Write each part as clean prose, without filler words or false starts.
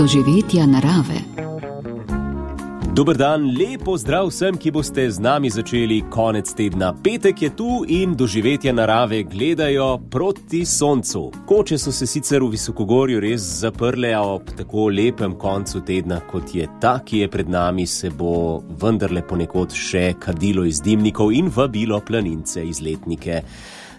doživetja narave. Dober dan, lepo zdrav vsem, ki boste z nami začeli konec tedna. Petek je tu in doživetja narave gledajo proti soncu. Koče so se sicer v Visokogorju res zaprle, a ob tako lepem koncu tedna, kot je ta, ki je pred nami, se bo vendarle ponekod še kadilo iz dimnikov in vabilo planince, izletnike.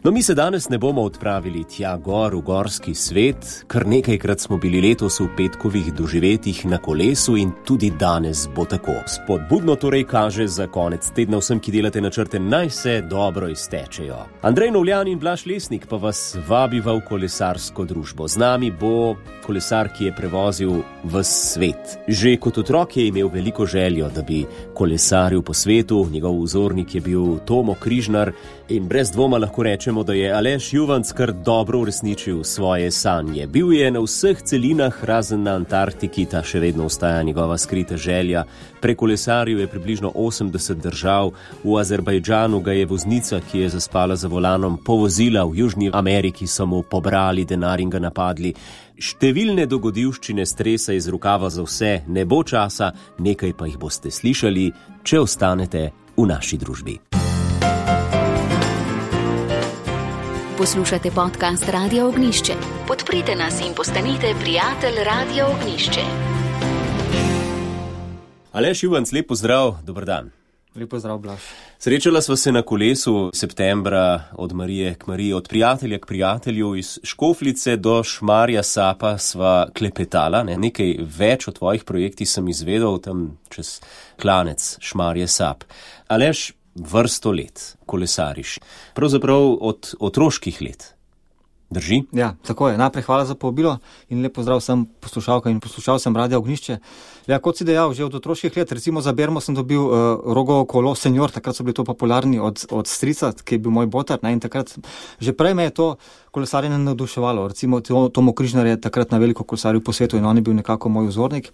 No, mi se danes ne bomo odpravili tja gor v gorski svet, kar nekajkrat smo bili letos v petkovih doživetjih na kolesu in tudi danes bo tako. Spodbudno torej kaže za konec tedna vsem, ki delate načrte, naj se dobro iztečejo. Andrej Novljan in Blaž Lesnik pa vas vabiva v kolesarsko družbo. Z nami bo kolesar, ki je prevozil ves svet. Že kot otrok je imel veliko željo, da bi kolesaril po svetu, njegov vzornik je bil Tomo Križnar in brez dvoma lahko rečemo, da je Aleš Juvanc kar dobro uresničil svoje sanje. Bil je na vseh celinah, razen na Antarktiki, ta še vedno ostaja njegova skrita želja. Prekolesaril je približno 80 držav, v Azerbajdžanu ga je voznica, ki je zaspala za volanom, povozila, v Južni Ameriki so mu pobrali denar in ga napadli. Številne dogodivščine stresa iz rokava za vse, ne bo časa, nekaj pa jih boste slišali, če ostanete v naši družbi. Poslušate podcast Radia Ognjišče. Podprite nas in postanite prijatelj Radia Ognjišče. Aleš Juvanc, lep pozdrav, dober dan. Lep pozdrav, Blaž. Srečala sva se na kolesu septembra od Marije k Mariji, od prijatelja k prijatelju, iz Škofljice do Šmarja Sapa sva klepetala. Nekaj več o tvojih projektih sem izvedel tam čez klanec Šmarje Sap. Aleš, vrsto let kolesariš. Pravzaprav od otroških let. Drži? Ja, tako je. Najprej hvala za povabilo in lep pozdrav vsem poslušalkam in poslušalcem Radia Ognjišče. Ja, kot si dejal, že od otroških let, recimo za bermo sem dobil Rogovo kolo senior, takrat so bili to popularni od strica, ki je bil moj botar, in takrat že prej me je to kolesarjenje navduševalo. Recimo Tomo Križnar je takrat na veliko kolesaril po svetu in on je bil nekako moj vzornik.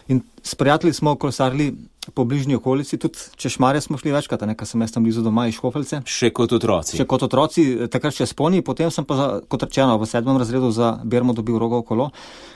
In s prijatelji smo kolesarili po bližnji okolici, tudi čez Šmarje smo šli večkrat, ker sem jaz tam blizu doma iz Škofljice. Še kot otroci. Še kot otroci, takrat še sponi, potem sem pa, kot rečeno, v 7. razredu za bermo dobil Rogovo kolo,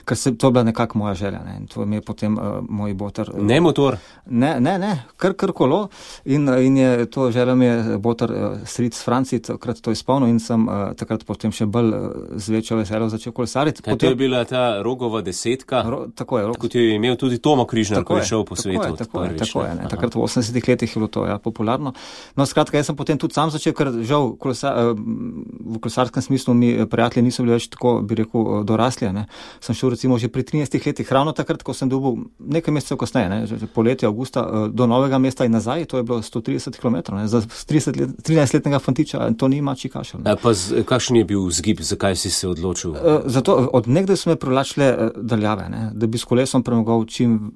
ker to je bila nekako moja želja. In to mi je potem moj botar. Ne motor? Ne, kar kolo. In je to želja mi je botar stric Franci, takrat to izpolnil in sem takrat potem še bolj z večjo veseljo začel kolesariti. To je bila ta Rogova 10, tako je, kot jo je imel tudi Tomo Križnar, ko je šel po svetu. Tako je. Takrat v 80 letih je bilo to popularno. No, skratka, jaz sem potem tudi sam začel, ker žal v kolesarskem smislu mi prijatelji niso bili več tako, bi rekel, dorasli. Sem šel recimo že pri 13 letih, ravno takrat, ko sem dobil nekaj mesecev kasneje, že poletje, avgusta, do Novega mesta in nazaj, to je bilo 130 km. Za 13-letnega fantiča to ni mačji kašelj. Kakšen je bil vzgib, zakaj si se odločil? Zato od nekdaj so me privlačile daljave, da bi s kolesom premagal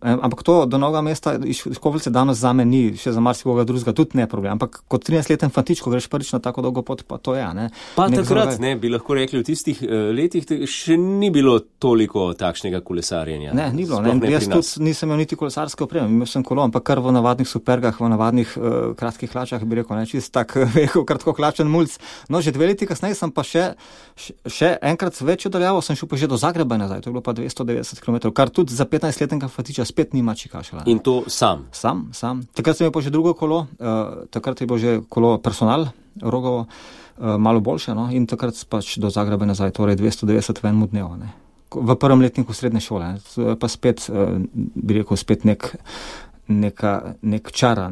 ampak to do Novega mesta iz Škofljice danes zame ni, še za marsikoga drugega tudi ne problem, ampak kot 13-leten fantič, ko greš prvič na tako dolgo pot, pa to je, Pa takrat, bi lahko rekli, v tistih letih še ni bilo toliko takšnega kolesarjenja. Ne, ni bilo, jaz tudi nisem imel niti kolesarske opreme, imel sem kolo, ampak kar v navadnih supergah, v navadnih kratkih hlačah, bi rekel, čist tak kratko hlačen mulc. No, že 2 leti kasneje sem pa še enkrat večjo daljavo, sem šel pa že do Zagreba nazaj, to je bilo pa 290 km, kar tudi za 15-letnega fantiča spet ni mačji kašelj. In to sam? Sam. Takrat sem imel pa že drugo kolo, takrat je bilo že kolo Personal, Rogovo, malo boljše, in takrat pač do Zagreba nazaj, torej 290 v enem dnevu. V prvem letniku srednje šole. To je pa spet, bi rekel, spet nek čara,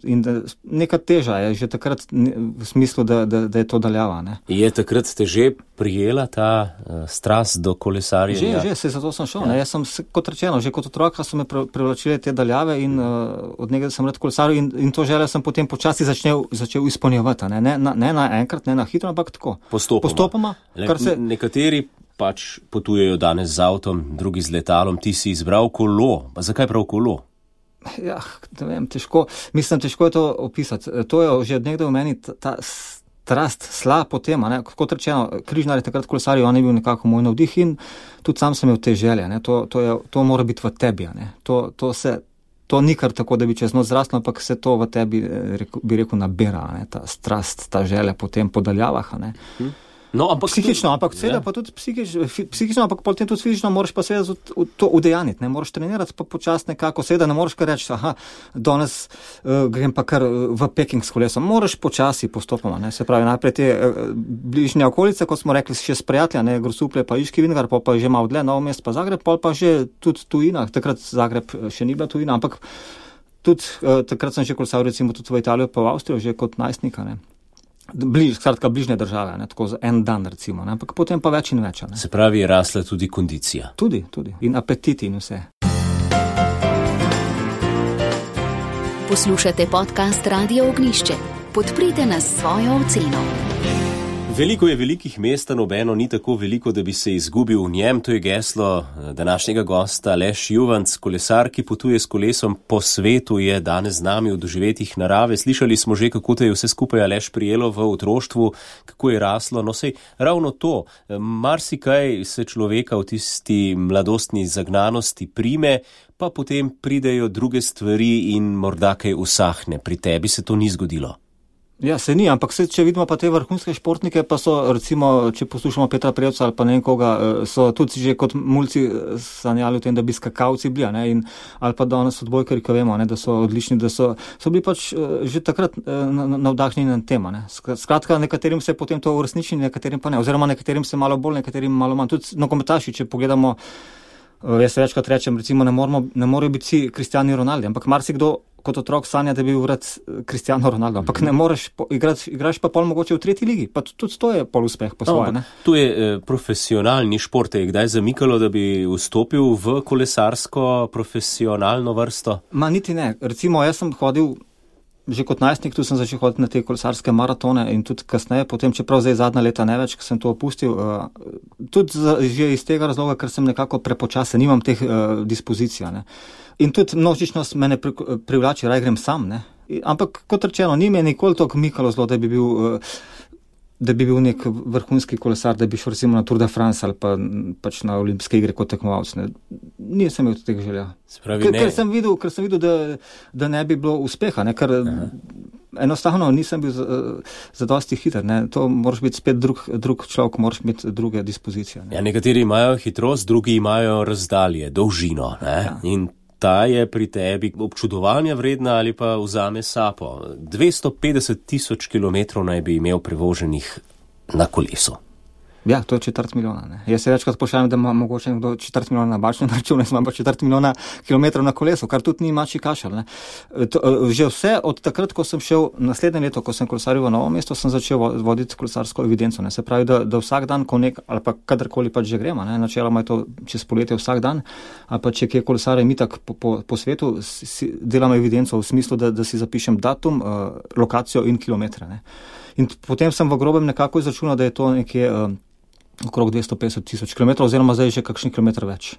in neka teža je že takrat v smislu, da je to daljava. Je takrat te že prijela ta strast do kolesarjenja? Že, zato sem šel. Jaz sem, kot rečeno, že kot otroka so me privlačile te daljave in od nekaj sem rad kolesaril in to željo sem potem počasi začel izpolnjevati. Ne na enkrat, ne na hitro, ampak tako. Postopoma. Nekateri pač potujejo danes z avtom, drugi z letalom, ti si izbral kolo. Pa zakaj prav kolo? Ja, ne vem, težko je to opisati. To je že od nekdaj v meni ta strast, sla po tem, kot rečeno, Križnar je takrat kolesaril, on je bil nekako moj navdih in tudi sam sem imel te želje, to mora biti v tebi, to ni kar tako, da bi čez noč zraslo, ampak se to v tebi, bi rekel, nabira, ta strast, ta želja po tem podaljavah, No, ampak psihično, ampak seveda pa tudi psihično, ampak potem tudi fizično moraš pa seveda to udejaniti, ne moraš trenirati pa počasno nekako, seveda ne moraš kar reči, danes grem pa kar v Peking s kolesom, moraš počasi postopoma, ne, se pravi najprej te bližnje okolice, kot smo rekli, še s prijatelja, ne, Grosuplje pa Iški Vintgar, pa že malo dlje, Novo mesto pa Zagreb, pa že tudi tujina, takrat Zagreb še ni bila tujina, ampak tudi takrat sem že kolesaril recimo tudi v Italijo pa v Avstrijo, že kot najstnika, ne. Skratka, bližnje države, ne, tako za en dan recimo, ne, ampak potem pa več in več. Ne. Se pravi, je rasla tudi kondicija. Tudi. In apetiti in vse. Poslušate podcast Radio Ognjišče. Podprite nas s svojo oceno. Veliko je velikih mest, nobeno ni tako veliko, da bi se izgubil v njem. To je geslo današnjega gosta Aleš Juvanc, kolesar, ki potuje s kolesom po svetu, je danes z nami v doživetjih narave. Slišali smo že, kako te je vse skupaj Aleš prijelo v otroštvu, kako je raslo. No, sej ravno to, marsikaj se človeka v tisti mladostni zagnanosti prime, pa potem pridejo druge stvari in morda kaj usahne. Pri tebi se to ni zgodilo. Ja, se ni, ampak če vidimo pa te vrhunske športnike, pa so recimo, če poslušamo Petra Prevca ali pa ne vem koga, so tudi že kot mulci sanjali o tem, da bi skakalci bili, ne, in ali pa danes odbojkari, ko vemo, ne, da so odlični, da so bili pač že takrat navdahnjeni na tema, ne. Skratka, nekaterim se potem to uresniči, nekaterim pa ne, oziroma nekaterim se malo bolj, nekaterim malo manj. Tudi nogometaši, če pogledamo, jaz se večkrat rečem, recimo ne morejo biti vsi Cristiano Ronaldo, ampak marsikdo kot otrok sanja, da bi bil vrat Cristiano Ronaldo, ampak ne moreš igraš pa pol mogoče v 3. ligi, pa tudi to je pol uspeh po svoje, ne. To je profesionalni šport, je kdaj zamikalo, da bi vstopil v kolesarsko profesionalno vrsto? Ma niti ne, recimo jaz sem hodil že kot najstnik, tu sem začel hoditi na te kolesarske maratone in tudi kasneje, potem čeprav zdaj zadnja leta ne več, ko sem to opustil, tudi že iz tega razloga, ker sem nekako prepočasen, nimam teh dispozicij, ne. In tudi množičnost mene privlači, raj grem sam, ne. Ampak kot rečeno, ni me nikoli toliko mikalo zelo, da bi bil nek vrhunski kolesar, da bi šel recimo na Tour de France ali pa pač na olimpijske igre kot tekmovalec. Nisem imel tega želja. Ker sem videl, da ne bi bilo uspeha, ne, ker enostavno nisem bil zadosti hiter, ne. To moraš biti spet drug človek, moraš imeti druge dispozicije, ne. Ja, nekateri imajo hitrost, drugi imajo razdalje, dolžino, ne. Ja. In ta je pri tebi občudovanja vredna ali pa vzame sapo. 250,000 kilometrov naj bi imel prevoženih na kolesu. Ja, to je 250 milijona, ne. Jaz se večkrat pošaljam, da ima mogoče nekdo 250 milijona na bančnem računu, jaz imam pa 250 milijona kilometrov na kolesu, kar tudi ni mačji kašelj, ne. Že vse od takrat, ko sem šel naslednje leto, ko sem kolesaril v Novo mesto, sem začel voditi kolesarsko evidenco, ne. Se pravi, da vsak dan, ali pa kadarkoli pač že gremo, ne, načeloma je to čez poletje vsak dan, ali pa če kje kolesarjem itak po svetu, delam evidenco v smislu, da si zapišem datum, lokacijo in kilometre, ne. In potem sem v grobem nekako izračunal, da je to nekje okrog 250,000 kilometrov, oziroma zdaj že kakšen kilometr več.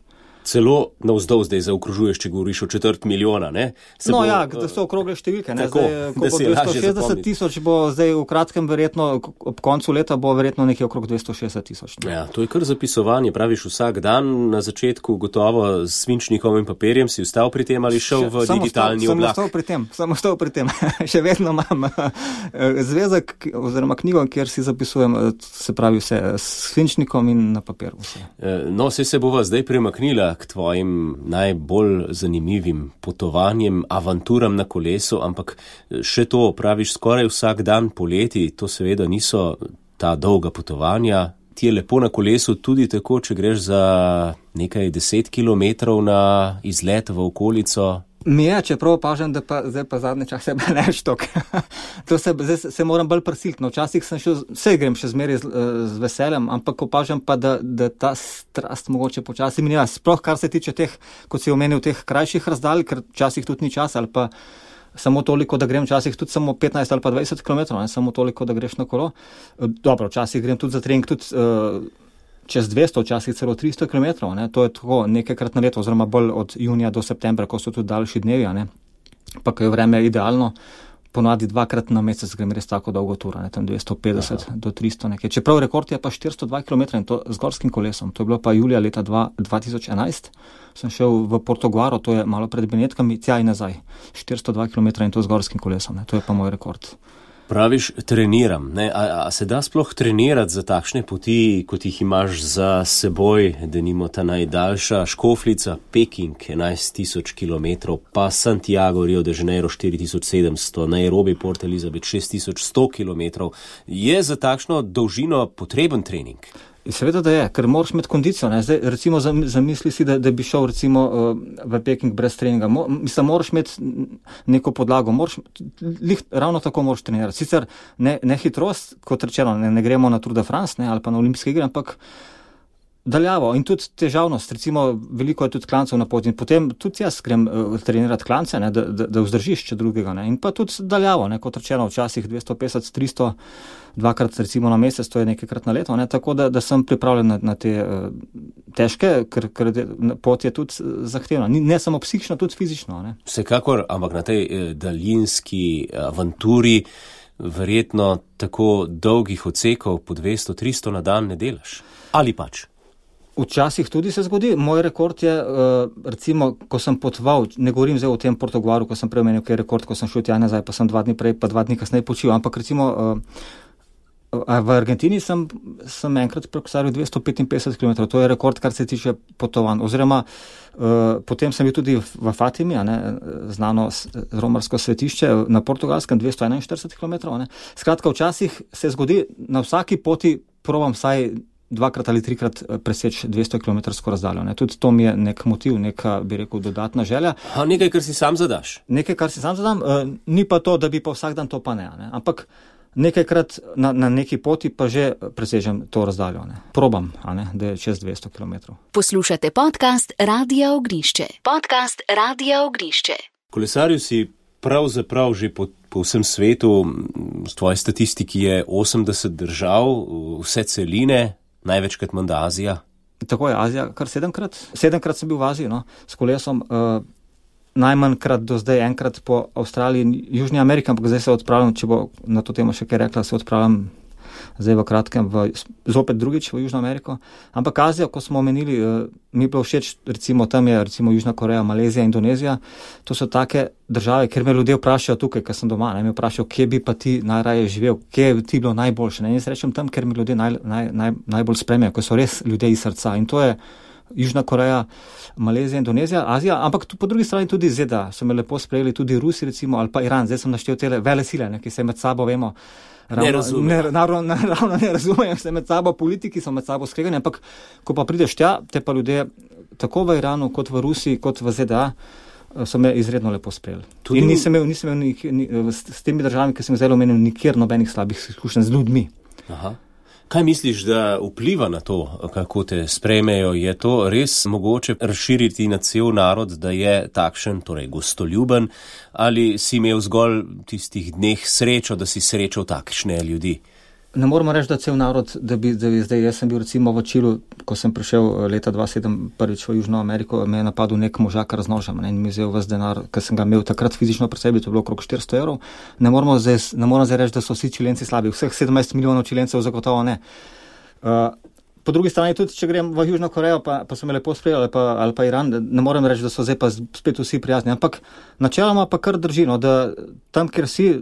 Celo navzdol zdaj zaokrožuješ, če govoriš o 250 milijona, ne? Da so okrogle številke, ne? Tako, zdaj, ko bo 260,000, bo zdaj v kratkem verjetno, ob koncu leta bo verjetno nekje okrog 260,000. Ja, to je kar zapisovanje, praviš vsak dan, na začetku gotovo s svinčnikom in papirjem si vstal pri tem ali šel v digitalni oblak? Samo stal pri tem. Še vedno imam zvezek oziroma knjigo, kjer si zapisujem, se pravi vse, s svinčnikom in na papir vse. No, se bova zdaj premaknila k tvojim najbolj zanimivim potovanjem, avanturam na kolesu, ampak še to, praviš, skoraj vsak dan poleti, to seveda niso ta dolga potovanja. Ti je lepo na kolesu tudi tako, če greš za nekaj 10 kilometrov na izlet v okolico. Mi je, čeprav opažam, da pa zdaj pa zadnje čase ne več tok. Zdaj se moram bolj prisiliti. No, včasih sem vse grem še zmeraj z veseljem, ampak opažam pa, da ta strast mogoče počasi mineva. Sploh kar se tiče teh, kot si omenil, teh krajših razdalj, ker včasih tudi ni čas ali pa samo toliko, da grem včasih tudi samo 15 ali pa 20 km, ne samo toliko, da greš na kolo. Dobro, včasih grem tudi za trening, tudi čez 200, včasih celo 300 km, ne, to je tako nekajkrat na leto, oziroma bolj od junija do septembra, ko so tudi daljši dnevi, ne, pa ko je vreme idealno, ponavadi 2-krat na mesec grem res tako dolgo turo, ne, tam 250 do 300 nekaj. Čeprav rekord je pa 402 km in to z gorskim kolesom, to je bilo pa julija leta 2011, sem šel v Portoguaro, to je malo pred Benetkami, tja in nazaj, 402 km in to z gorskim kolesom, ne, to je pa moj rekord. Praviš, treniram. Ne? A se da sploh trenirati za takšne poti, kot jih imaš za seboj, denimo ta najdaljša Škofljica, Peking, 11.000 km, pa Santiago, Rio de Janeiro, 4.700, Nairobi, Port Elizabeth, 6.100 km. Je za takšno dolžino potreben trening? Seveda, da je, ker moraš imeti kondicijo. Ne? Zdaj, recimo, zamisli si, da bi šel recimo v Peking brez treninga. Moraš imeti neko podlago, ravno tako moraš trenirati. Sicer ne hitrost, kot rečeno, ne gremo na Tour de France, ali pa na olimpijske igre, ampak daljavo in tudi težavnost. Recimo, veliko je tudi klancev na poti in potem tudi jaz grem trenirati klance, da vzdržiš, če drugega. Ne? In pa tudi daljavo, kot rečeno, včasih 250, 300, dvakrat recimo na mesec, to je nekajkrat na leto, tako da sem pripravljen na te težke, ker pot je tudi zahtevna. Ne samo psihično, tudi fizično. Ne? Vsekakor, ampak na tej daljinski avanturi verjetno tako dolgih odsekov po 200-300 na dan ne delaš. Ali pač? Včasih tudi se zgodi. Moj rekord je, recimo, ko sem potoval, ne govorim zdaj o tem Portugalu, ko sem premenil, kaj je rekord, ko sem šel tja nazaj, pa sem 2 dni prej, pa 2 dni kasneje počil, ampak recimo v Argentini sem enkrat prekosalil 255 km, to je rekord, kar se tiče potovanj. Oziroma, potem sem bil tudi v Fatimi, znano romarsko svetišče na Portugalskem, 241 km. Skratka, včasih se zgodi, na vsaki poti probam vsaj 2 ali 3 preseči 200 km razdaljo. Tudi to mi je nek motiv, neka, bi rekel, dodatna želja. Nekaj, kar si sam zadaš. Nekaj, kar si sam zadam, ni pa to, da bi pa vsak dan to pa ne. Ampak nekajkrat na neki poti pa že presežem to razdaljo. Probam, da je čez 200 km. Poslušate podcast Radia Ognišče. Podcast Radia Ognišče. Kolesarju si pravzaprav že po vsem svetu, v tvoji statistiki je 80 držav, vse celine, največkrat menda Azija. Tako je, Azija kar 7-krat. 7-krat sem bil v Aziji, s kolesom. Najmanjkrat do zdaj, enkrat po Avstraliji in Južni Ameriki, ampak zdaj se odpravljam, če bo na to temo še kaj rekla, se odpravljam zdaj v kratkem zopet drugič v Južno Ameriko. Ampak Azija, ko smo omenili, mi je bilo všeč, recimo tam je recimo Južna Koreja, Malezija, Indonezija. To so take države, kjer me ljudje vprašajo tukaj, ker sem doma, me vprašajo, kje bi pa ti najraje živel, kje je ti bilo najboljše. Jaz rečem tam, kjer mi ljudje najbolj spremljajo, ko so res ljudje iz srca. In to je Južna Koreja, Malezija, Indonezija, Azija, ampak po drugi strani tudi ZDA. So me lepo sprejeli tudi Rusi, recimo, ali pa Iran. Zdaj sem naštel te vele sile, ki se med sabo vemo. Ne razumejo se med sabo, politiki so med sabo skregani, ampak ko pa prideš tja, te pa ljudje tako v Iranu, kot v Rusiji, kot v ZDA, so me izredno lepo sprejeli. In nisem imel s temi državami, ki sem zdaj omenil, nikjer nobenih slabih izkušenj z ljudmi. Aha. Kaj misliš, da vpliva na to, kako te sprejmejo? Je to res mogoče razširiti na cel narod, da je takšen, torej gostoljuben, ali si imel zgolj tistih dneh srečo, da si srečal takšne ljudi? Ne moramo reči, da cel narod, da bi zdaj, jaz sem bil recimo v Čilu, ko sem prišel leta 2007 prvič v Južno Ameriko, me je napadel nek možakar z nožem in mi vzel ves denar, ker sem ga imel takrat fizično pri sebi, to je bilo okrog 400 €. Ne moram zdaj reči, da so vsi Čilenci slabi, vseh 17 milijonov Čilencev zagotovo ne. Po drugi strani tudi, če grem v Južno Korejo, pa so me lepo sprejeli, ali pa Iran, ne morem reči, da so zdaj pa spet vsi prijazni, ampak načeloma pa kar držino, da tam, kjer si,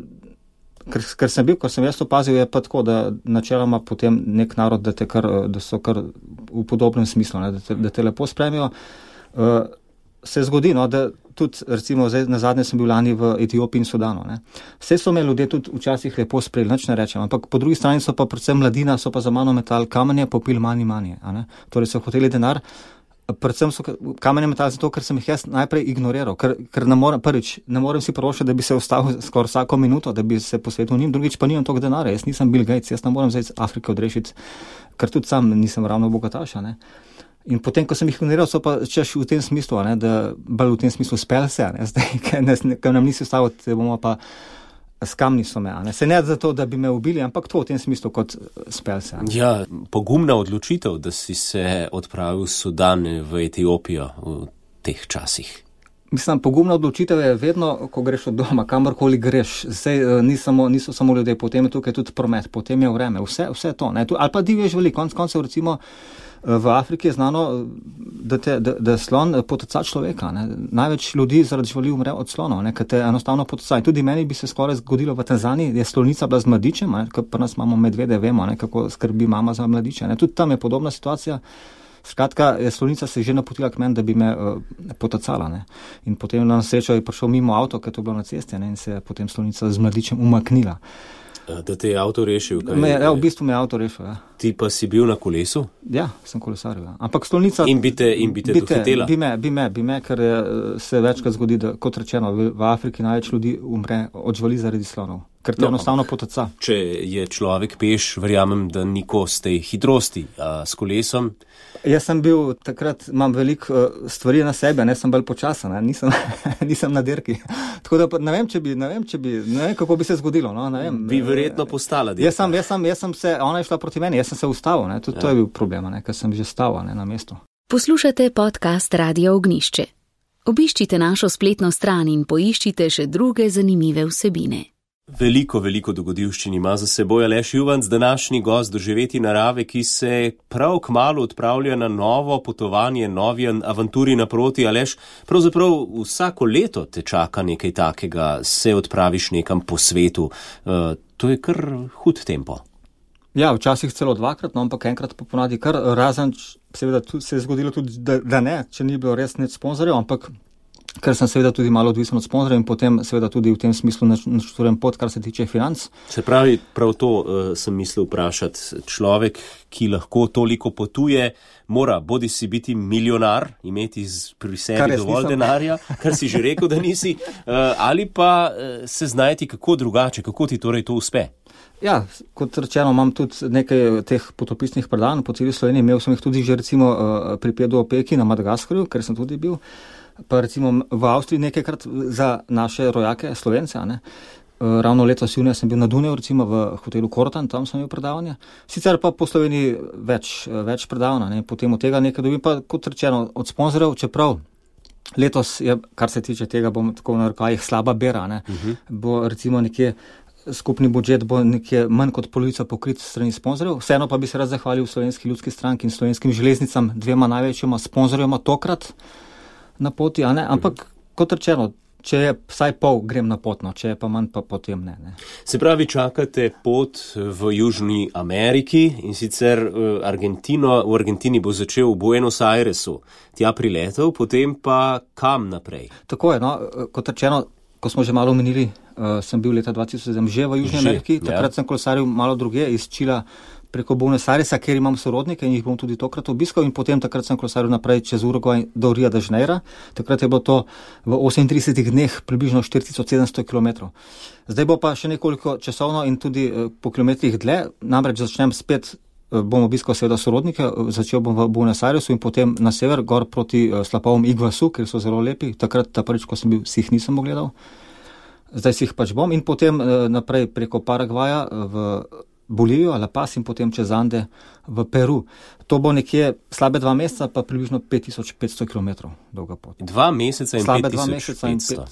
ker sem bil, ko sem jaz opazil, je pa tako, da načeloma potem nek narod, da so kar v podobnem smislu, da te lepo spremijo. Se zgodi, da tudi, recimo, zdaj nazadnje sem bil lani v Etiopiji in Sudanu. Vse so me ljudje tudi včasih lepo sprejeli, nič ne rečem, ampak po drugi strani so pa predvsem mladina, so pa za mano metali kamenje, popili manje. Torej so hoteli denar. Predvsem so kamenje metali zato, ker sem jih jaz najprej ignoriral, ker ne morem si privoščiti, da bi se ustavil skoraj vsako minuto, da bi se posvetil njim, drugič pa nimam toliko denarja, jaz nisem Bill Gates, jaz ne morem zdaj iz Afrike odrešiti, ker tudi sam nisem ravno bogataš. In potem, ko sem jih ignoriral, so pa češ v tem smislu, da bolj v tem smislu spel se, zdaj, ker nam nisi ustavil, bomo pa s kamni so me, Se ne zato, da bi me ubili, ampak to v tem smislu kot spel se. Ja, pogumna odločitev, da si se odpravil v Sudan, v Etiopijo v teh časih. Mislim, pogumna odločitev je vedno, ko greš od doma, kamorkoli greš. Zdaj niso samo ljudje, potem je tukaj tudi promet, potem je vreme, vse to. Ali pa divje živali, konec koncev recimo V Afriki je znano, da slon poteca človeka. Ne. Največ ljudi zaradi živali umre od slonov, ker te enostavno poteca. In tudi meni bi se skoraj zgodilo v Tanzaniji, je slonica bila z mladičem, ker pri nas imamo medvede, vemo, kako skrbi mama za mladiče. Ne. Tudi tam je podobna situacija. Skratka, slonica se je že napotila k meni, da bi me potecala. Ne. In potem na srečo je prišel mimo avto, ker to je bilo na cesti, ne, in se je potem slonica z mladičem umaknila. Da te je avto rešil? V bistvu me je avto rešil, ja. Ti pa si bil na kolesu? Ja, sem kolesaril, ja. Ampak slonica... In bi te dohitela? Bi me, ker se večkrat zgodi, da, kot rečeno, v Afriki največ ljudi umre od živali zaradi slonov. Ker te enostavno poteca. Če je človek peš, verjamem, da niko z tej hitrosti, s kolesom. Jaz sem bil takrat, imam veliko stvari na sebe, ne sem bolj počasen, nisem na dirki. Tako da ne vem, kako bi se zgodilo. No, ne vem. Bi verjetno postala dirka. Jaz sem se, ona je šla proti meni, jaz sem se ustavil, ne, tudi to je bil problem, ker sem že stal na mestu. Poslušate podcast Radio Ognišče. Obiščite našo spletno stran in poiščite še druge zanimive vsebine. Veliko dogodivščin ima za seboj Aleš Juvanc, današnji gost Doživeti narave, ki se prav kmalu odpravlja na novo potovanje, novi avanturi naproti. Aleš, pravzaprav vsako leto te čaka nekaj takega, se odpraviš nekam po svetu. To je kar hud tempo. Ja, včasih celo dvakrat, no, ampak enkrat pa ponavadi kar razen, seveda se je zgodilo tudi, da ne, če ni bilo res nič sponzorjev, ampak ker sem seveda tudi malo odvisen od sponzorjev in potem seveda tudi v tem smislu načrtujem pot, kar se tiče financ. Se pravi, prav to sem mislil vprašati. Človek, ki lahko toliko potuje, mora bodisi biti milijonar, imeti pri sebi dovolj denarja, kar si že rekel, da nisi, ali pa se znajti kako drugače, kako ti torej to uspe. Ja, kot rečeno, imam tudi nekaj teh potopisnih predavanj po celi Sloveniji. Imel sem jih tudi že recimo pri Pedro Opeki na Madagaskarju, ker sem tudi bil. Pa recimo v Avstriji nekajkrat za naše rojake, Slovence, ne. Ravno letos junija sem bil na Dunaju, recimo v hotelu Kortan, tam sem imel predavanje. Sicer pa po Sloveniji več predavanj, ne. Potem od tega nekaj dobim, pa kot rečeno od sponzorjev, čeprav letos je, kar se tiče tega, bom tako na rokavih, slaba bera, ne. Bo recimo nekje skupni budžet bo nekje manj kot polovica pokrit strani sponzorjev. Vseeno pa bi se rad zahvalil Slovenski ljudski stranki in Slovenskim železnicam, dvema največjima sponzorjema tokrat na poti, a ne? Ampak kot rečeno, če je vsaj pol, grem na potno, če je pa manj, pa potem ne. Se pravi, čakate pot v Južni Ameriki in sicer v Argentini bo začel v Buenos Airesu, tja priletel, potem pa kam naprej? Tako je, no, kot rečeno, ko smo že malo omenili, sem bil leta 2007 že v Južni Ameriki, takrat sem kolesaril malo druge iz Čila preko Buenos Airesa, kjer imam sorodnike in jih bom tudi tokrat obiskal in potem takrat sem kolesaril naprej čez Uruguay do Rio de Janeiro. Takrat je bilo to v 38 dneh približno 4700 km. Zdaj bo pa še nekoliko časovno in tudi po kilometrih dlje, namreč začnem spet, bom obiskal seveda sorodnike, začel bom v Buenos Airesu in potem na sever, gor proti slapovom Iguazu, ker so zelo lepi. Takrat, prvič, ko sem bil, si jih nisem ogledal. Zdaj si jih pač bom in potem naprej preko Paragvaja v Bolivijo, La Paz in potem čez Ande v Peru. To bo nekje slabe 2 meseca, pa približno 5500 km dolga pot. 2 meseca in 5500.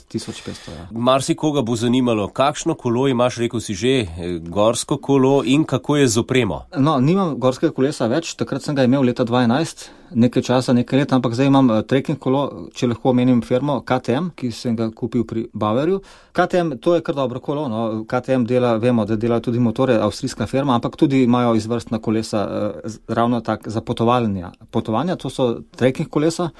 Ja. Marsikoga bo zanimalo, kakšno kolo imaš, rekel si že, gorsko kolo in kako je z opremo? No, nimam gorskega kolesa več, takrat sem ga imel leta 2011, nekaj časa, nekaj let, ampak zdaj imam trekking kolo, če lahko omenim firmo KTM, ki sem ga kupil pri Bauerju. KTM, to je kar dobro kolo, no. KTM dela, vemo, da dela tudi motore, avstrijska firma, ampak tudi imajo izvrstna kolesa, ravno tak za potovanja, to so trekking kolesa.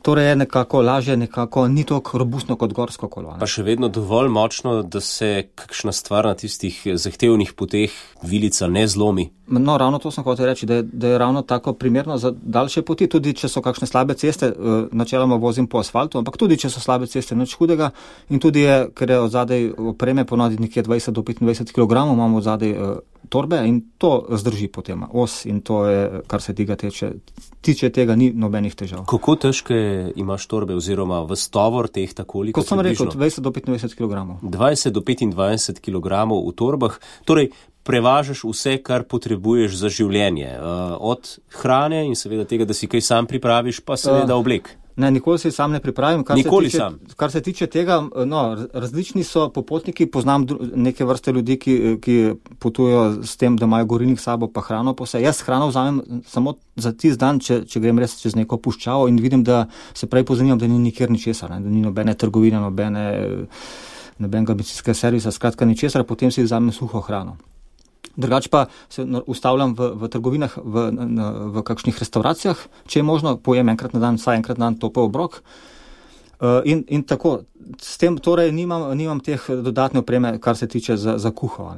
Torej je nekako lažje, nekako ni toliko robustno kot gorsko kolo. Ne? Pa še vedno dovolj močno, da se kakšna stvar na tistih zahtevnih poteh vilica ne zlomi. No, ravno to sem hotel reči, da je ravno tako primerno za daljše poti, tudi če so kakšne slabe ceste, načeloma vozim po asfaltu, ampak tudi če so slabe ceste, nič hudega in tudi je, ker je odzadej opreme ponavadi nekje 20 do 25 kg, imamo odzadej torbe in to zdrži potem os in to je, kar se tiče tega, ni nobenih težav. Kako težke imaš torbe oziroma v tovor teh takoliko? Kot sem rekel, 20 do 25 kg. 20 do 25 kg v torbah, torej prevažaš vse, kar potrebuješ za življenje. Od hrane in seveda tega, da si kaj sam pripraviš, pa seveda oblek. Ne, nikoli se sam ne pripravim. Kar se tiče tega, različni so popotniki, poznam neke vrste ljudi, ki potujejo s tem, da imajo gorilnik s sabo pa hrano po vse. Jaz hrano vzamem samo za tisti dan, če grem res čez neko puščavo in vidim, da se prej pozanimam, da ni nikjer ničesar, da ni nobene trgovine, nobenega bencinskega servisa, skratka ničesar, potem si vzamem suho hrano. Drugače pa se ustavljam v trgovinah, v kakšnih restauracijah, če je možno, pojem enkrat na dan, vsaj enkrat na dan topel obrok. In tako, s tem torej nimam teh dodatne opreme, kar se tiče za kuho.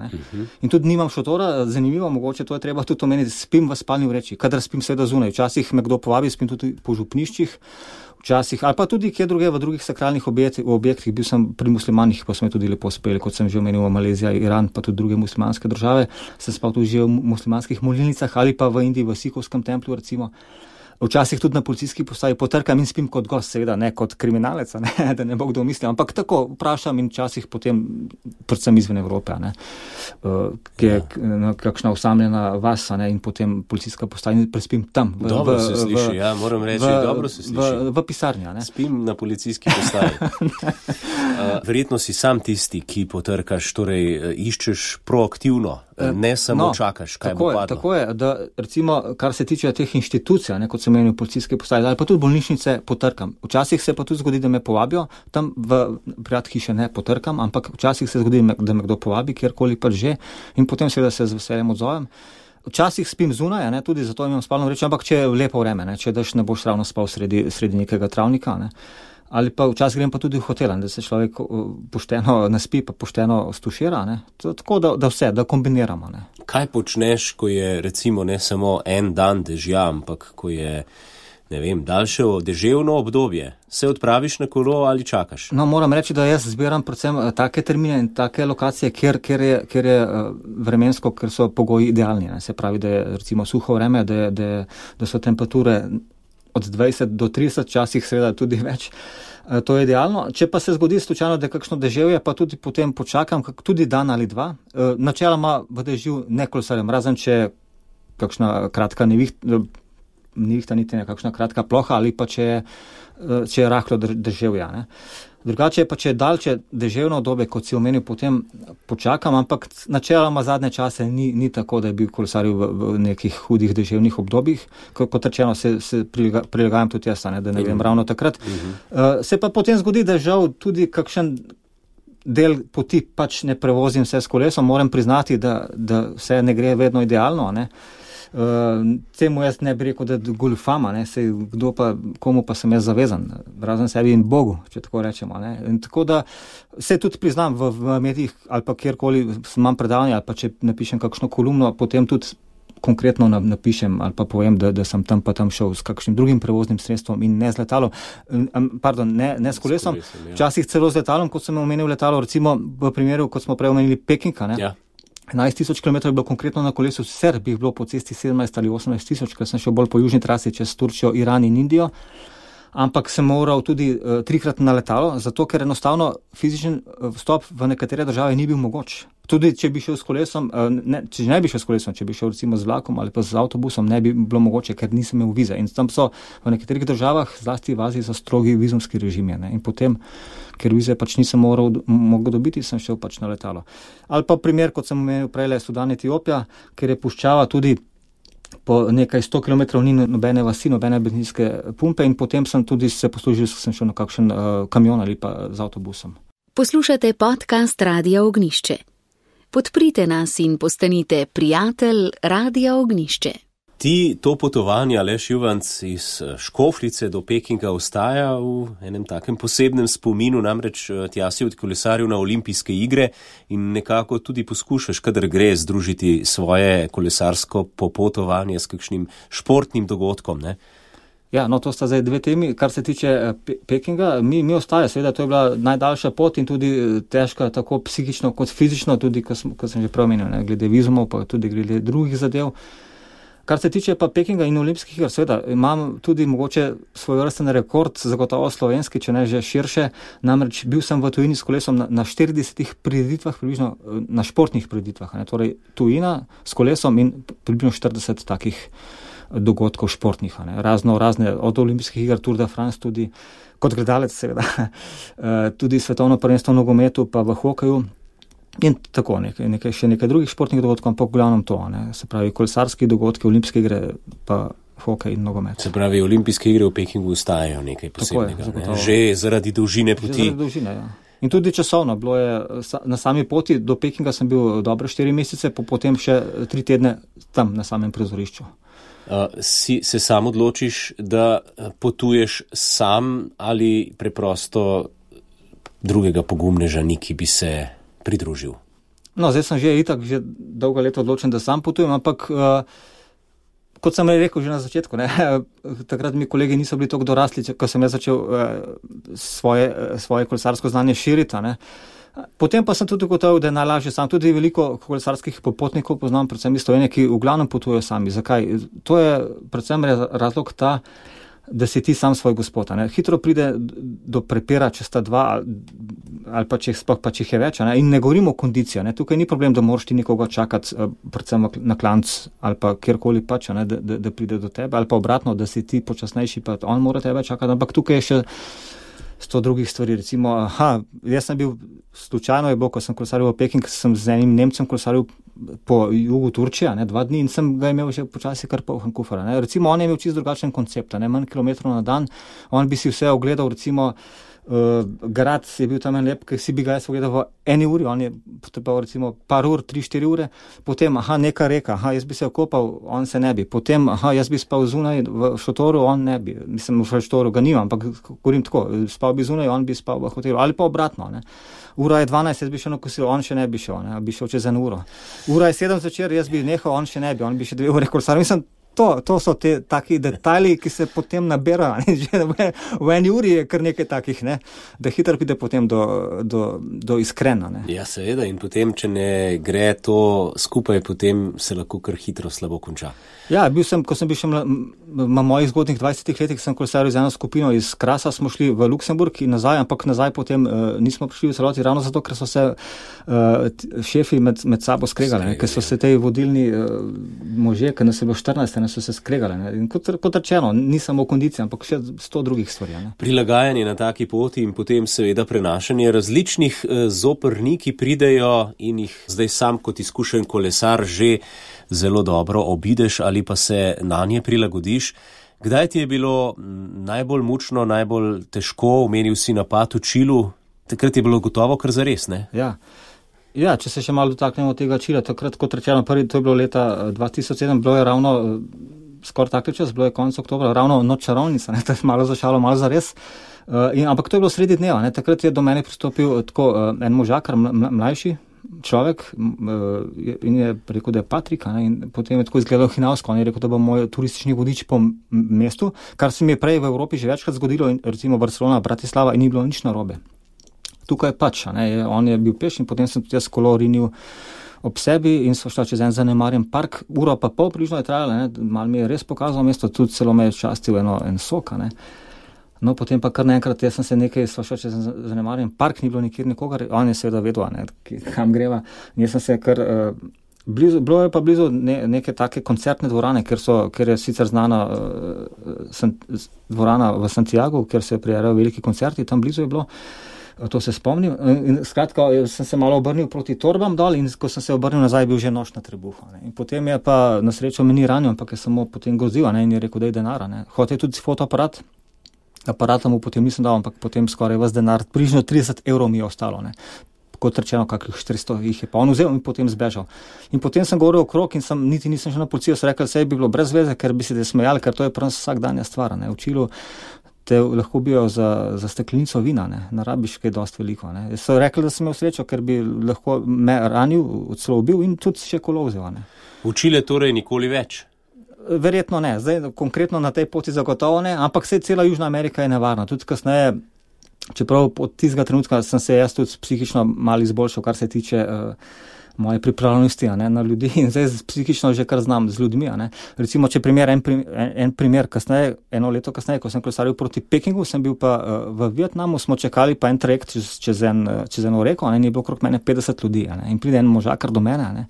In tudi nimam šotora, zanimivo, mogoče to je treba tudi omeniti, spim v spalni vreči, kadar spim seveda zunaj. Včasih me kdo povabi, spim tudi po župniščih, včasih, ali pa tudi kje druge v drugih sakralnih objektih, bil sem pri muslimanih, pa smo tudi lepo speli, kot sem že omenil, Malezija, Iran, pa tudi druge muslimanske države, sem spal tudi že v muslimanskih molilnicah ali pa v Indiji, v Sikovskem templju recimo. Včasih tudi na policijski postaji potrkam in spim kot gost, seveda ne kot kriminalec, da ne bo kdo mislil, ampak tako vprašam in včasih potem, predvsem izven Evrope, ki je kakšna osamljena vas, in potem policijska postaja in prespim tam. Dobro se sliši, moram reči, dobro se sliši. V pisarni, Spim na policijski postaji. Verjetno si sam tisti, ki potrkaš, torej iščeš proaktivno, ne samo čakaš, kaj bo padlo. Tako je, da recimo, kar se tiče teh inštitucij, kot sem menil policijske postaje, ali pa tudi bolnišnice potrkam. Včasih se pa tudi zgodi, da me povabijo, tam v prijat hiše ne potrkam, ampak včasih se zgodi, da me kdo povabi, kjerkoli pa že, in potem seveda se z veseljem odzovem. Včasih spim zunaj, tudi zato imam spalno vrečo, ampak če je lepo vreme, če daš ne boš ravno spal sredi nekega travnika, ali pa včasih grem pa tudi v hotel, da se človek pošteno naspi, pa pošteno stušira, tako da vse, da kombiniramo. Kaj počneš, ko je recimo ne samo en dan dežja, ampak ko je, ne vem, daljše deževno obdobje? Se odpraviš na kolo ali čakaš? Moram reči, da jaz zbiram predvsem take termine in take lokacije, kjer je vremensko, ker so pogoji idealni. Se pravi, da je recimo suho vreme, da so temperature od 20 do 30, časih seveda tudi več. To je idealno. Če pa se zgodi slučajno, da je kakšno deževje, pa tudi potem počakam, tudi dan ali dva. Načeloma v dežju ne kolesarjem, razen če je kakšna kratka nevihta, niti nekakšna kratka ploha, ali pa če je rahlo deževje. Drugače pa, če je daljše deževno obdobje, kot si omenil, potem počakam, ampak načeloma zadnje čase ni tako, da je bil kolesaril v nekih hudih deževnih obdobjih. Kot rečeno, se prilagajam tudi jaz, da ne vem ravno takrat. Se pa potem zgodi, da žal tudi kakšen del poti pač ne prevozim vse s kolesom. Moram priznati, da vse ne gre vedno idealno, Temu jaz ne bi rekel, da je goljufama, komu pa sem jaz zavezan, razen sebi in Bogu, če tako rečemo. In tako da se tudi priznam v medijih ali pa kjerkoli imam predavanje ali pa če napišem kakšno kolumno, potem tudi konkretno napišem ali pa povem, da sem tam pa tam šel s kakšnim drugim prevoznim sredstvom in ne z letalom, ne s kolesom, včasih celo z letalom, kot sem omenil letalo, recimo v primeru, kot smo prej omenili Peking, 11,000 km je bilo konkretno na kolesu, sicer bi bilo po cesti 17 ali 18,000, ker sem šel bolj po južni trasi čez Turčijo, Iran in Indijo, ampak sem moral tudi 3-krat na letalo, zato ker enostavno fizičen vstop v nekatere države ni bil mogoč. Tudi če bi šel s kolesom, če bi šel recimo z vlakom ali pa z avtobusom, ne bi bilo mogoče, ker nisem imel vize. In tam so v nekaterih državah, zlasti v Aziji, so strogi vizumski režimi. In potem, ker vize pač nisem mogel dobiti, sem šel pač na letalo. Ali pa primer, kot sem omenil prej, Sudan, Etiopija, ker je puščava tudi po nekaj 100 km ni nobene vasi, nobene bencinske pumpe in potem sem tudi se poslužil, sem šel na kakšen kamion ali pa z avtobusom. Poslušate podcast Radia Ognjišče. Podprite nas in postanite prijatelj Radia Ognjišče. To potovanje, Aleš Juvanc, iz Škofljice do Pekinga ostaja v enem takem posebnem spominu, namreč tja si odkolesaril na olimpijske igre in nekako tudi poskušaš, kadar gre, združiti svoje kolesarsko popotovanje s kakšnim športnim dogodkom, ne? Ja, to sta zdaj dve temi. Kar se tiče Pekinga, mi ostaja, seveda, to je bila najdaljša pot in tudi težka, tako psihično kot fizično, tudi, kot sem že preomenil, glede vizumov, pa tudi glede drugih zadev. Kar se tiče pa Pekinga in olimpijskih iger, seveda, imam tudi mogoče svojevrsten rekord, zagotovo slovenski, če ne že širše, namreč bil sem v tujini s kolesom na 40 prireditvah, približno na športnih prireditvah, torej tujina s kolesom in približno 40 takih dogodkov športnih, razne, od olimpijskih iger, Tour de France tudi, kot gledalec seveda, tudi svetovno prvenstvo v nogometu, pa v hokeju in tako še nekaj drugih športnih dogodkov, ampak v glavnem to, se pravi kolesarski dogodki, olimpijske igre, pa hokej in nogomet. Se pravi, olimpijske igre v Pekingu ostajajo nekaj posebnega, že zaradi dolžine poti. Že zaradi dolžine, ja. In tudi časovno, bilo je na sami poti do Pekinga sem bil dobre 4 mesece, potem še 3 tedne tam na samem prizorišču. Se sam odločiš, da potuješ sam ali preprosto drugega pogumneža ni, ki bi se pridružil? No, zdaj sem že dolgo leto odločen, da sam potujem, ampak kot sem rekel že na začetku, takrat mi kolegi niso bili toliko dorasli, ko sem začel svoje kolesarsko znanje širiti. Potem pa sem tudi ugotovil, da je najlažje sam. Tudi veliko kolesarskih popotnikov poznam, predvsem iz Slovenije, ki v glavnem potujejo sami. Zakaj? To je predvsem razlog ta, da si ti sam svoj gospod. Hitro pride do prepira, če sta dva ali pa če jih je več. In ne govorimo o kondiciji. Tukaj ni problem, da moraš ti nekoga čakati, predvsem na klanc ali pa kjerkoli pač, da pride do tebe, ali pa obratno, da si ti počasnejši, pa on mora tebe čakati. Ampak tukaj je še 100 drugih stvari. Recimo, jaz sem bil, slučajno je bilo, ko sem kolesaril v Peking, sem z enim Nemcem kolesaril po jugu Turčije, 2 dni in sem ga imel že počasi kar poln kufer. Recimo, on je imel čisto drugačen koncept, manj kilometrov na dan, on bi si vse ogledal, recimo, grad je bil tam lep, ki si bi ga jaz ogledal v 1 uri, on je potreboval recimo par ur, 3-4 ure, potem, neka reka, jaz bi se okopal, on se ne bi, potem, jaz bi spal zunaj v šotoru, on ne bi, mislim, v šotoru ga nimam, ampak govorim tako, spal bi zunaj, on bi spal v hotelu, ali pa obratno, Ura je 12, jaz bi šel na kosilo, on še ne bi šel, bi šel čez 1 uro. Ura je 7 zvečer, jaz bi nehal, on še ne bi, on bi še 2 ure kolesaril. Mislim, to so te taki detajli, ki se potem naberajo. Že v 1 uri je kar nekaj takih, da hitro pride potem do iskrena. Ja, seveda, in potem, če ne gre to skupaj, potem se lahko kar hitro slabo konča. Ja, ko sem bil še na mojih zgodnih 20 letih, sem kolesaril z eno skupino iz Krasa, smo šli v Luksemburg in nazaj, ampak nazaj potem nismo prišli v celoti, ravno zato, ker so se šefi med sabo skregali, ker so se te vodilni možje, ker nas je bilo 14, so se skregali. In kot rečeno, ni samo kondicija, ampak še 100 drugih stvari. Prilagajanje na taki poti in potem seveda prenašanje različnih zoprni, ki pridejo in jih zdaj sam kot izkušen kolesar že zelo dobro obideš ali pa se na nje prilagodiš. Kdaj ti je bilo najbolj mučno, najbolj težko, omenil si napad v Čilu, takrat je bilo gotovo kar zares, ne? Ja, če se še malo dotaknemo tega Čila, takrat kot rečeno, to je bilo leta 2007, bilo je ravno skoraj tak čas, bilo je konec oktobra, ravno noč čarovnica, to je malo zašalo, malo zares. Ampak to je bilo sredi dneva, takrat je do mene pristopil tako en možakar, mlajši človek in je rekel, da je Patrik, in potem je tako izgledal hinavsko, on je rekel, da bo moj turistični vodič po mestu, kar se mi je prej v Evropi že večkrat zgodilo, recimo Barcelona, Bratislava, in ni bilo nič narobe. Tukaj pač, on je bil peš in potem sem tudi jaz kolo rinil ob sebi in so šla čez en zanemarjen park, uro pa pol približno je trajala, malo mi je res pokazal mesto, tudi celo me je častil en sok, No, potem pa kar naenkrat, jaz sem se nekaj šla čez zanemarjen park, ni bilo nikjer nikogar, on je seveda vedel, kam greva, in jaz sem se kar bilo je pa blizu neke take koncertne dvorane, ker je sicer znana dvorana v Santiago, kjer se prijavijo veliki koncerti, tam blizu je bilo. To se spomnim. In skratka, sem se malo obrnil proti torbam dol in ko sem se obrnil nazaj, je bil že nož na trebuhu. In potem je pa na srečo me ni ranil, ampak je samo potem gozil, in je rekel, da je denar. Hotel je tudi fotoaparat, aparata mu potem nisem dal, ampak potem skoraj vas denar, približno 30 evrov mi je ostalo. Kot rečeno, kakih 400 jih je pa on vzel in potem zbežal. In potem sem govoril okrog in niti nisem šel na policijo, sem rekel, saj bi bilo brez veze, ker bi se smejali, ker to je prvo vsakdanja stvar. V Čilu te lahko bijo za steklenico vina, ne rabiš kaj dosti veliko. So rekli, da sem imel srečo, ker bi lahko me ranil, celo ubil in tudi še kolo vzel. V Čile torej nikoli več? Verjetno ne, zdaj konkretno na tej poti zagotovo ne, ampak cela Južna Amerika je nevarna. Tudi kasneje, čeprav od tistega trenutka sem se jaz tudi psihično malo izboljšal, kar se tiče moje pripravljenosti na ljudi in zdaj psihično že kar znam z ljudmi. Recimo, če en primer kasneje, 1 leto kasneje, ko sem kolesaril proti Pekingu, sem bil pa v Vietnamu, smo čakali pa en trajekt čez eno reko, in je bilo okrog mene 50 ljudi. In pride en možakar do mene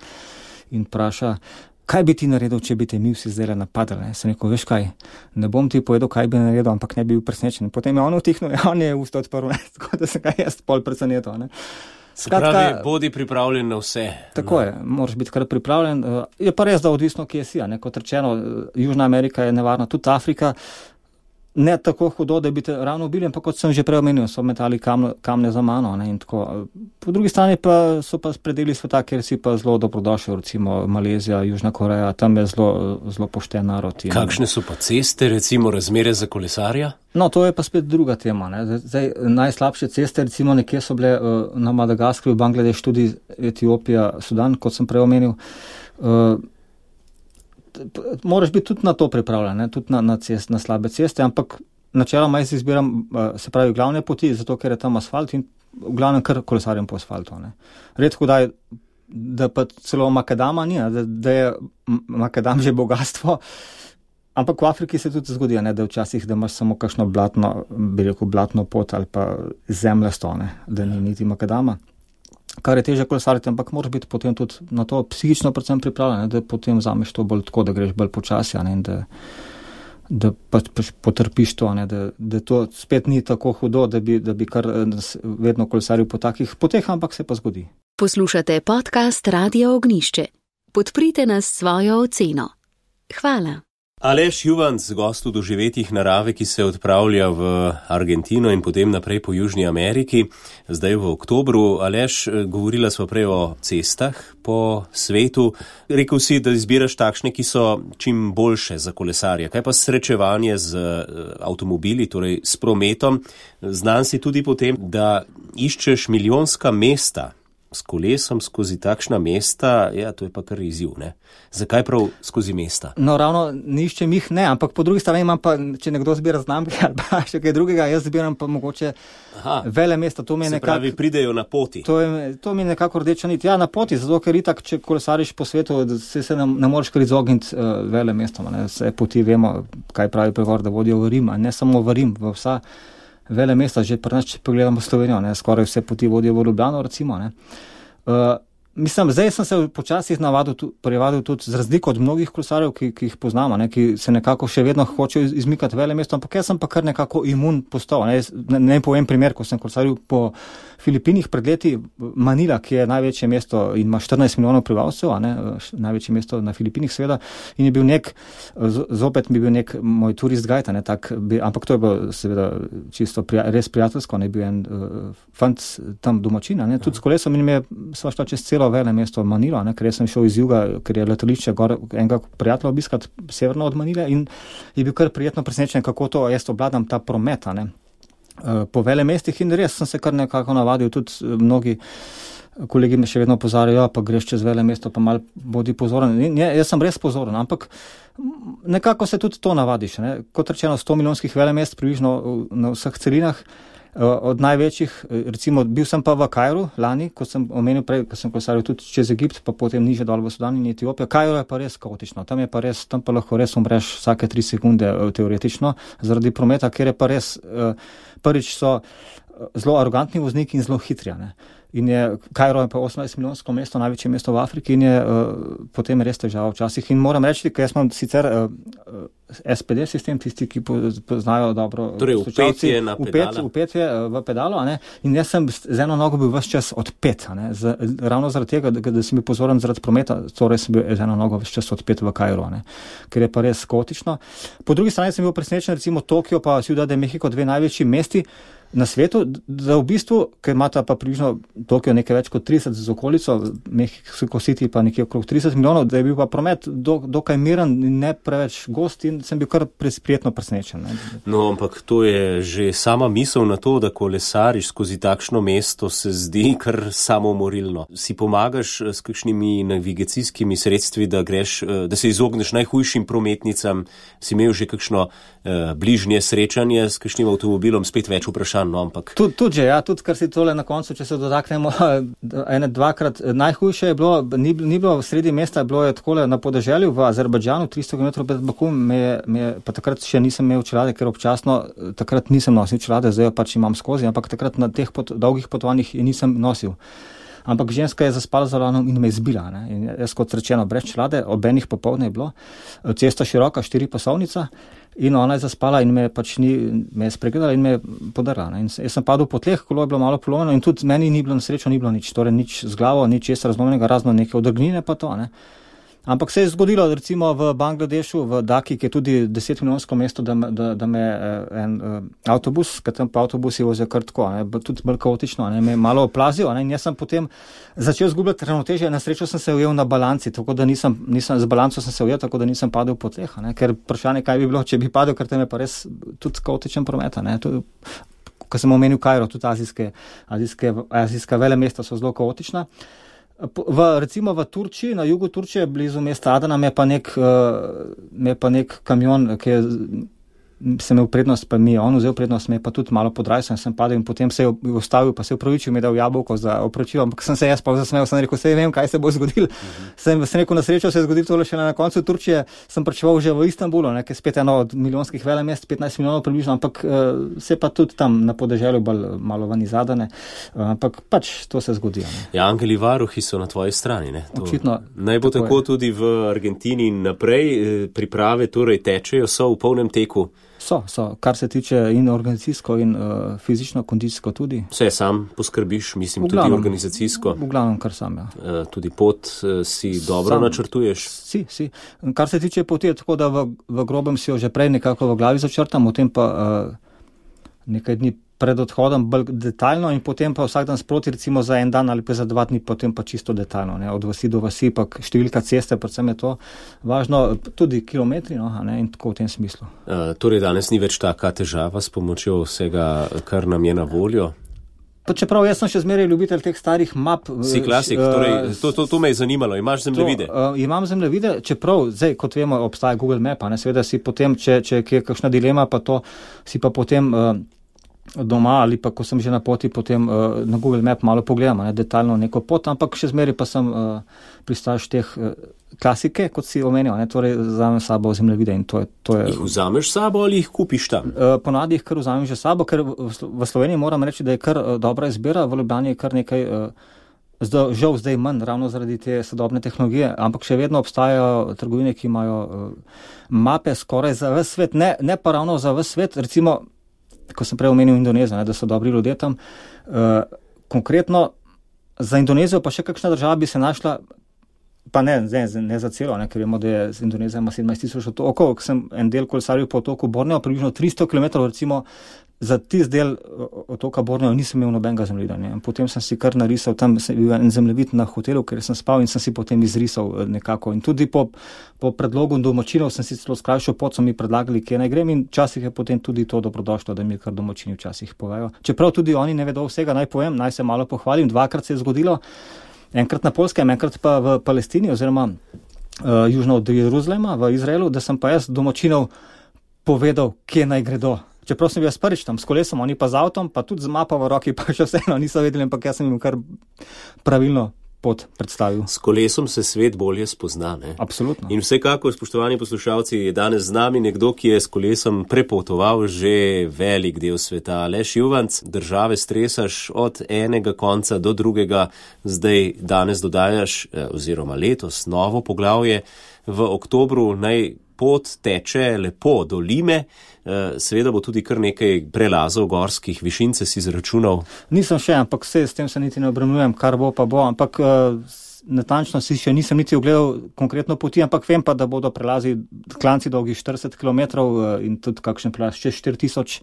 in vpraša, kaj bi ti naredil, če bi te mi vsi zdaj napadali? Sem rekel, veš kaj, ne bom ti povedal, kaj bi naredil, ampak ne bi bil presenečen. Potem je on utihnil, on je usta odprl, tako da sem ga jaz pol presenetil. Skratka, bodi pripravljen na vse. Tako je, moraš biti kar pripravljen. Je pa res, da odvisno, kje si. Kot rečeno, Južna Amerika je nevarna, tudi Afrika. Ne tako hudo, da bi te ravno ubili, ampak kot sem že prej omenil, so metali kamne za mano. In tako. Po drugi strani pa so pa predeli sveta, kjer si pa zelo dobrodošel, recimo Malezija, Južna Koreja, tam je zelo pošten narod. Kakšne so pa ceste, recimo razmere za kolesarja? No, to je pa spet druga tema. Zdaj, najslabše ceste, recimo nekje so bile na Madagaskarju, Bangladeš, tudi Etiopija, Sudan, kot sem prej omenil. Moraš biti tudi na to pripravljen, tudi na slabe ceste, ampak načeloma jaz izbiram, se pravi, glavne poti, zato ker je tam asfalt in v glavnem kar kolesarjem po asfaltu. Redko da pa celo makadama ni, da je makadam že bogatstvo, ampak v Afriki se tudi zgodi, da včasih, da imaš samo kakšno blatno pot ali pa zemljasto, da ni niti makadama. Kar je teže kolesariti, ampak moraš biti potem tudi na to psihično predvsem pripravljen, da potem vzameš to bolj tako, da greš bolj počasi, in da pač potrpiš to, da to spet ni tako hudo, da bi kar vedno kolesaril po takih poteh, ampak se pa zgodi. Poslušate podcast Radio Ognišče. Podprite nas s svojo oceno. Hvala. Aleš Juvanc, gost v doživetjih narave, ki se odpravlja v Argentino in potem naprej po Južni Ameriki, zdaj v oktobru. Aleš, govorila sva prej o cestah po svetu. Rekel si, da izbiraš takšne, ki so čim boljše za kolesarja. Kaj pa srečevanje z avtomobili, torej s prometom? Znan si tudi potem, da iščeš milijonska mesta s kolesom skozi takšna mesta, to je pa kar izziv, ne? Zakaj prav skozi mesta? No, ravno niščem jih ne, ampak po drugi strani imam pa, če nekdo zbira znamke ali pa še kaj drugega, jaz zbiram pa mogoče vele mesta. Se pravi, pridejo na poti. To mi je nekako rdeča nit. Ja, na poti, zato ker itak, če kolesariš po svetu, se ne moreš kar izogniti vele mestom. Vse poti vemo, kaj pravi pregovor, da vodijo v Rim, a ne samo v Rim, v vsa vele mesta, že pri nas, če pogledamo Slovenijo, skoraj vse poti vodijo v Ljubljano, recimo. Mislim, zdaj sem se počasih privadil tudi z razliko od mnogih kolesarjev, ki jih poznamo, ki se nekako še vedno hočejo izmikati vele mesto, ampak jaz sem pa kar nekako imun postal. Ne povem primer, ko sem kolesaril po Filipinih pred leti, Manila, ki je največje mesto in ima 14 milijonov prebivalcev, največje mesto na Filipinih seveda, in je bil zopet mi bil nek moj turist guide, ampak to je bilo seveda čisto res prijateljsko, bil en fant tam domačin, tudi s kolesom, in mi je sva šla čez celo vele mesto Manilo, ker sem šel iz juga, ker je letališče gor enega prijatelja obiskat severno od Manile, in je bil kar prijetno presenečen, kako to jaz obvladam ta promet, po vele mestih, in res sem se kar nekako navadil, tudi mnogi kolegi me še vedno opozarjajo, pa greš čez vele mesto, pa malo bodi pozoren. Jaz sem res pozoren, ampak nekako se tudi to navadiš. Kot rečeno, 100 milijonskih vele mest približno na vseh celinah, od največjih, recimo bil sem pa v Kairu lani, kot sem omenil prej, ko sem kolesaril tudi čez Egipt, pa potem niže dol v Sudan in Etiopijo. Kairo je pa res kaotično, tam pa lahko res umreš vsake 3 sekunde teoretično zaradi prometa, ker je pa res, prvič so zelo arogantni vozniki in zelo hitri. In Kairo je pa 18 milijonsko mesto, največje mesto v Afriki, in je potem res težava včasih. In moram reči, ker jaz imam sicer SPD sistem, tisti, ki poznajo dobro. Torej, upetje na pedala. Upetje v pedalo, in jaz sem z eno nogo bil ves čas odpet, ravno zaradi tega, da sem bil pozoren zaradi prometa, torej sem bil z eno nogo ves čas odpet v Kairu, ker je pa res kaotično. Po drugi strani sem bil presenečen, recimo Tokio pa Ciudad de México, 2 največji mesti na svetu, da v bistvu, ker imata pa približno Tokio nekaj več kot 30 z okolico, Mexico City pa nekje okrog 30 milijonov, da je bil pa promet dokaj miren in ne preveč gost, in sem bil kar prijetno presenečen. No, ampak to je že sama misel na to, da kolesariš skozi takšno mesto, se zdi kar samomorilno. Si pomagaš s kakšnimi navigacijskimi sredstvi, da se izogneš najhujšim prometnicam, si imel že kakšno bližnje srečanje s kakšnim avtomobilom, spet več vprašanj. Ampak... Tudi kar si tole na koncu, če se dotaknemo, 2-krat najhujše je bilo, ni bilo v sredi mesta, bilo je takole na podeželju v Azerbajdžanu, 300 km pred Bakum, pa takrat še nisem imel čelade, ker občasno takrat nisem nosil čelade, zdaj jo pač imam skozi, ampak takrat na teh dolgih potovanjih je nisem nosil. ampak ženska je zaspala za volanom in me izbila. Ne? In jaz kot rečeno, brez čelade, ob enih popoldne je bilo, cesta široka, 4-pasovnica in ona je zaspala in me je spregledala in me je podarila. Ne? In jaz sem padel po tleh, kolo je bilo malo polomljeno in tudi meni ni bilo na srečo, ni bilo nič, torej nič z glavo, nič česa razlomljenega, razno neke odrgnine pa to, ne. Ampak se je zgodilo, recimo v Bangladešu, v Daki, ki je tudi 10-milijonsko mesto, da me en avtobus, ker tam pa avtobusi vozijo kar tako, ne, tudi bolj kaotično, ne, me je malo oplazil, ne, in jaz sem potem začel zgubljati ravnotežje, na srečo sem se ujel na balanci, tako da z balanco sem se ujel, tako da nisem padel po tleh, ne, ker vprašanje, kaj bi bilo, če bi padel, ker tam je pa res tudi kaotičen promet, ne, ko sem omenil Kairo, tudi azijska velemesta so zelo kaotična. Recimo v Turčiji, na jugu Turčije, blizu mesta Adana, me je pa nek kamion, ki je sem imel prednost, pa mi je on vzel prednost, me je pa tudi malo podrajal, sem padel in potem se je ustavil, pa se je upravičil, mi je dal jabolko za opravičilo, ampak sem se jaz pa zasmejal, sem rekel, vem, kaj se bo zgodilo. Sem rekel, na srečo se je zgodilo tole še na koncu Turčije, sem pričeval že v Istanbulu, ki je spet eno od milijonskih velemest, 15 milijonov približno, ampak se pa tudi tam na podeželju bolj malo ven izadane, ampak pač to se zgodi. Ja, angeli varuhi so na tvoji strani, ne? Očitno. Naj bo tako tudi v Argentini in naprej, priprave torej tečejo, so v polnem teku. So, kar se tiče in organizacijsko in fizično, kondicijsko tudi. Vse sam poskrbiš, mislim, tudi organizacijsko. V glavnem, kar sam, ja. Tudi pot si dobro načrtuješ? Si. Kar se tiče poti, je tako, da v grobem si jo že prej nekako v glavi začrtam, potem pa nekaj dni pred odhodom bolj detaljno in potem pa vsak dan sproti, recimo za en dan ali pa za 2 dni, potem pa čisto detaljno, ne, od vasi do vasi, pa številka ceste, predvsem je to važno, tudi kilometri, no, ne, in tako v tem smislu. Torej danes ni več taka težava s pomočjo vsega, kar nam je na voljo? Pa čeprav jaz sem še zmeraj ljubitelj teh starih map. Si klasik, torej to me je zanimalo, imaš zemljevide? Imam zemljevide, čeprav, zdaj, kot vemo, obstaja Google Map, ne, seveda si potem, če je kakšna dilema, pa to si pa potem doma ali pa ko sem že na poti, potem na Google Map malo pogledam, ne, detaljno neko pot, ampak še zmeraj pa sem pristaš teh klasike, kot si omenil, ne, torej vzamem sabo zemljevide in to je. Jih vzameš sabo ali jih kupiš tam? Ponavadi jih kar vzamem že sabo, ker v Sloveniji moram reči, da je kar dobra izbira, v Ljubljani je kar nekaj, žal zdaj manj, ravno zaradi te sodobne tehnologije, ampak še vedno obstajajo trgovine, ki imajo mape skoraj za ves svet, ne pa ravno za ves svet, recimo ko sem prej omenil Indonezijo, da so dobri ljudje tam. Konkretno za Indonezijo pa še kakšna država bi se našla, pa ne za celo, ne, ker vemo, da je z Indonezija ima 17,000 otokov, ko sem en del kolesaril po otoku Borneo, približno 300 km, recimo za tist del otoka Borneo nisem imel nobenega zemljevida. Potem sem si kar narisal, tam sem bil en zemljevid na hotelu, ker sem spal in sem si potem izrisal nekako. In tudi po predlogu domačinov sem si celo skrajšal pot, so mi predlagali, kje naj grem in včasih je potem tudi to dobrodošlo, da mi kar domačini včasih povejo. Čeprav tudi oni ne vedo vsega, naj povem, naj se malo pohvalim, 2-krat se je zgodilo, enkrat na Poljskem, enkrat pa v Palestini oziroma južno od Jeruzalema v Izraelu, da sem pa jaz domačinov povedal, kje naj gredo. Čeprav sem bil jaz prvič tam s kolesom, oni pa z avtom, pa tudi z mapo v roki, pa še vseeno niso vedeli, ampak jaz sem jim kar pravilno pot predstavil. S kolesom se svet bolje spozna, ne? Absolutno. In vsekakor, spoštovani poslušalci, je danes z nami nekdo, ki je s kolesom prepotoval že velik del sveta. Aleš Juvanc, države stresaš od enega konca do drugega, zdaj danes dodajaš, oziroma letos, novo poglavje v oktobru, naj pot teče lepo do Lime, seveda bo tudi kar nekaj prelazov gorskih, višince si izračunal. Nisem še, ampak s tem se niti ne obremenjujem, kar bo pa bo, ampak natančno si še nisem niti ogledal konkretno poti, ampak vem pa, da bodo prelazi klanci dolgi 40 km in tudi kakšen prelaz čez 4000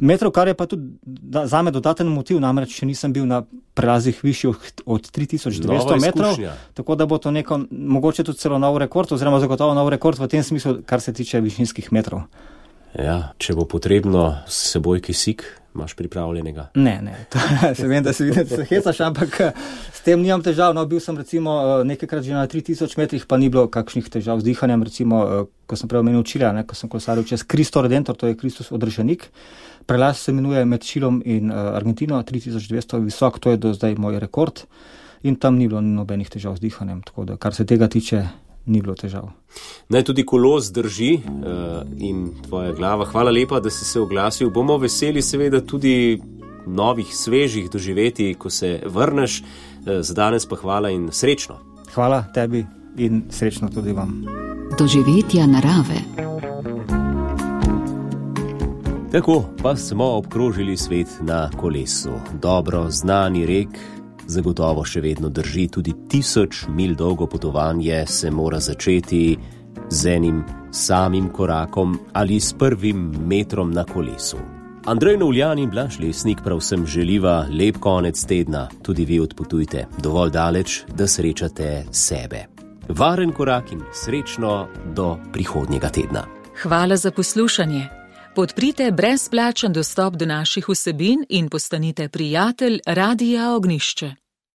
metrov, kar je pa tudi zame dodaten motiv, namreč še nisem bil na prelazih višjih od 3200 metrov, tako da bo to neko, mogoče tudi celo nov rekord, oziroma zagotovo nov rekord v tem smislu, kar se tiče višinskih metrov. Ja, če bo potrebno s seboj kisik, imaš pripravljenega? Ne, se vem, da se vidim, da se hecaš, ampak s tem nimam težav. No, bil sem recimo nekajkrat že na 3000 metrih, pa ni bilo kakšnih težav z dihanjem, recimo, ko sem prej omenil Čilja, ko sem kolesaril čez Cristo Redentor, to je Kristus odrešenik. Prelaz se imenuje med Čilom in Argentino, 3200 visok, to je do zdaj moj rekord in tam ni bilo nobenih težav z dihanjem, tako da kar se tega tiče, ni bilo težav. Naj tudi kolo zdrži in tvoja glava. Hvala lepa, da si se oglasil. Bomo veseli seveda tudi novih, svežih doživetij, ko se vrneš. Za danes pa hvala in srečno. Hvala tebi in srečno tudi vam. Doživetja narave. Tako pa smo obkrožili svet na kolesu. Dobro znani rek zagotovo še vedno drži, tudi 1000 milj dolgo potovanje se mora začeti z enim samim korakom ali s prvim metrom na kolesu. Andrej Novljan in Blaž Lesnik prav vsem želiva lep konec tedna. Tudi vi odpotujte dovolj daleč, da srečate sebe. Varen korak in srečno do prihodnjega tedna. Hvala za poslušanje. Podprite brezplačen dostop do naših vsebin in postanite prijatelj Radia Ognjišče.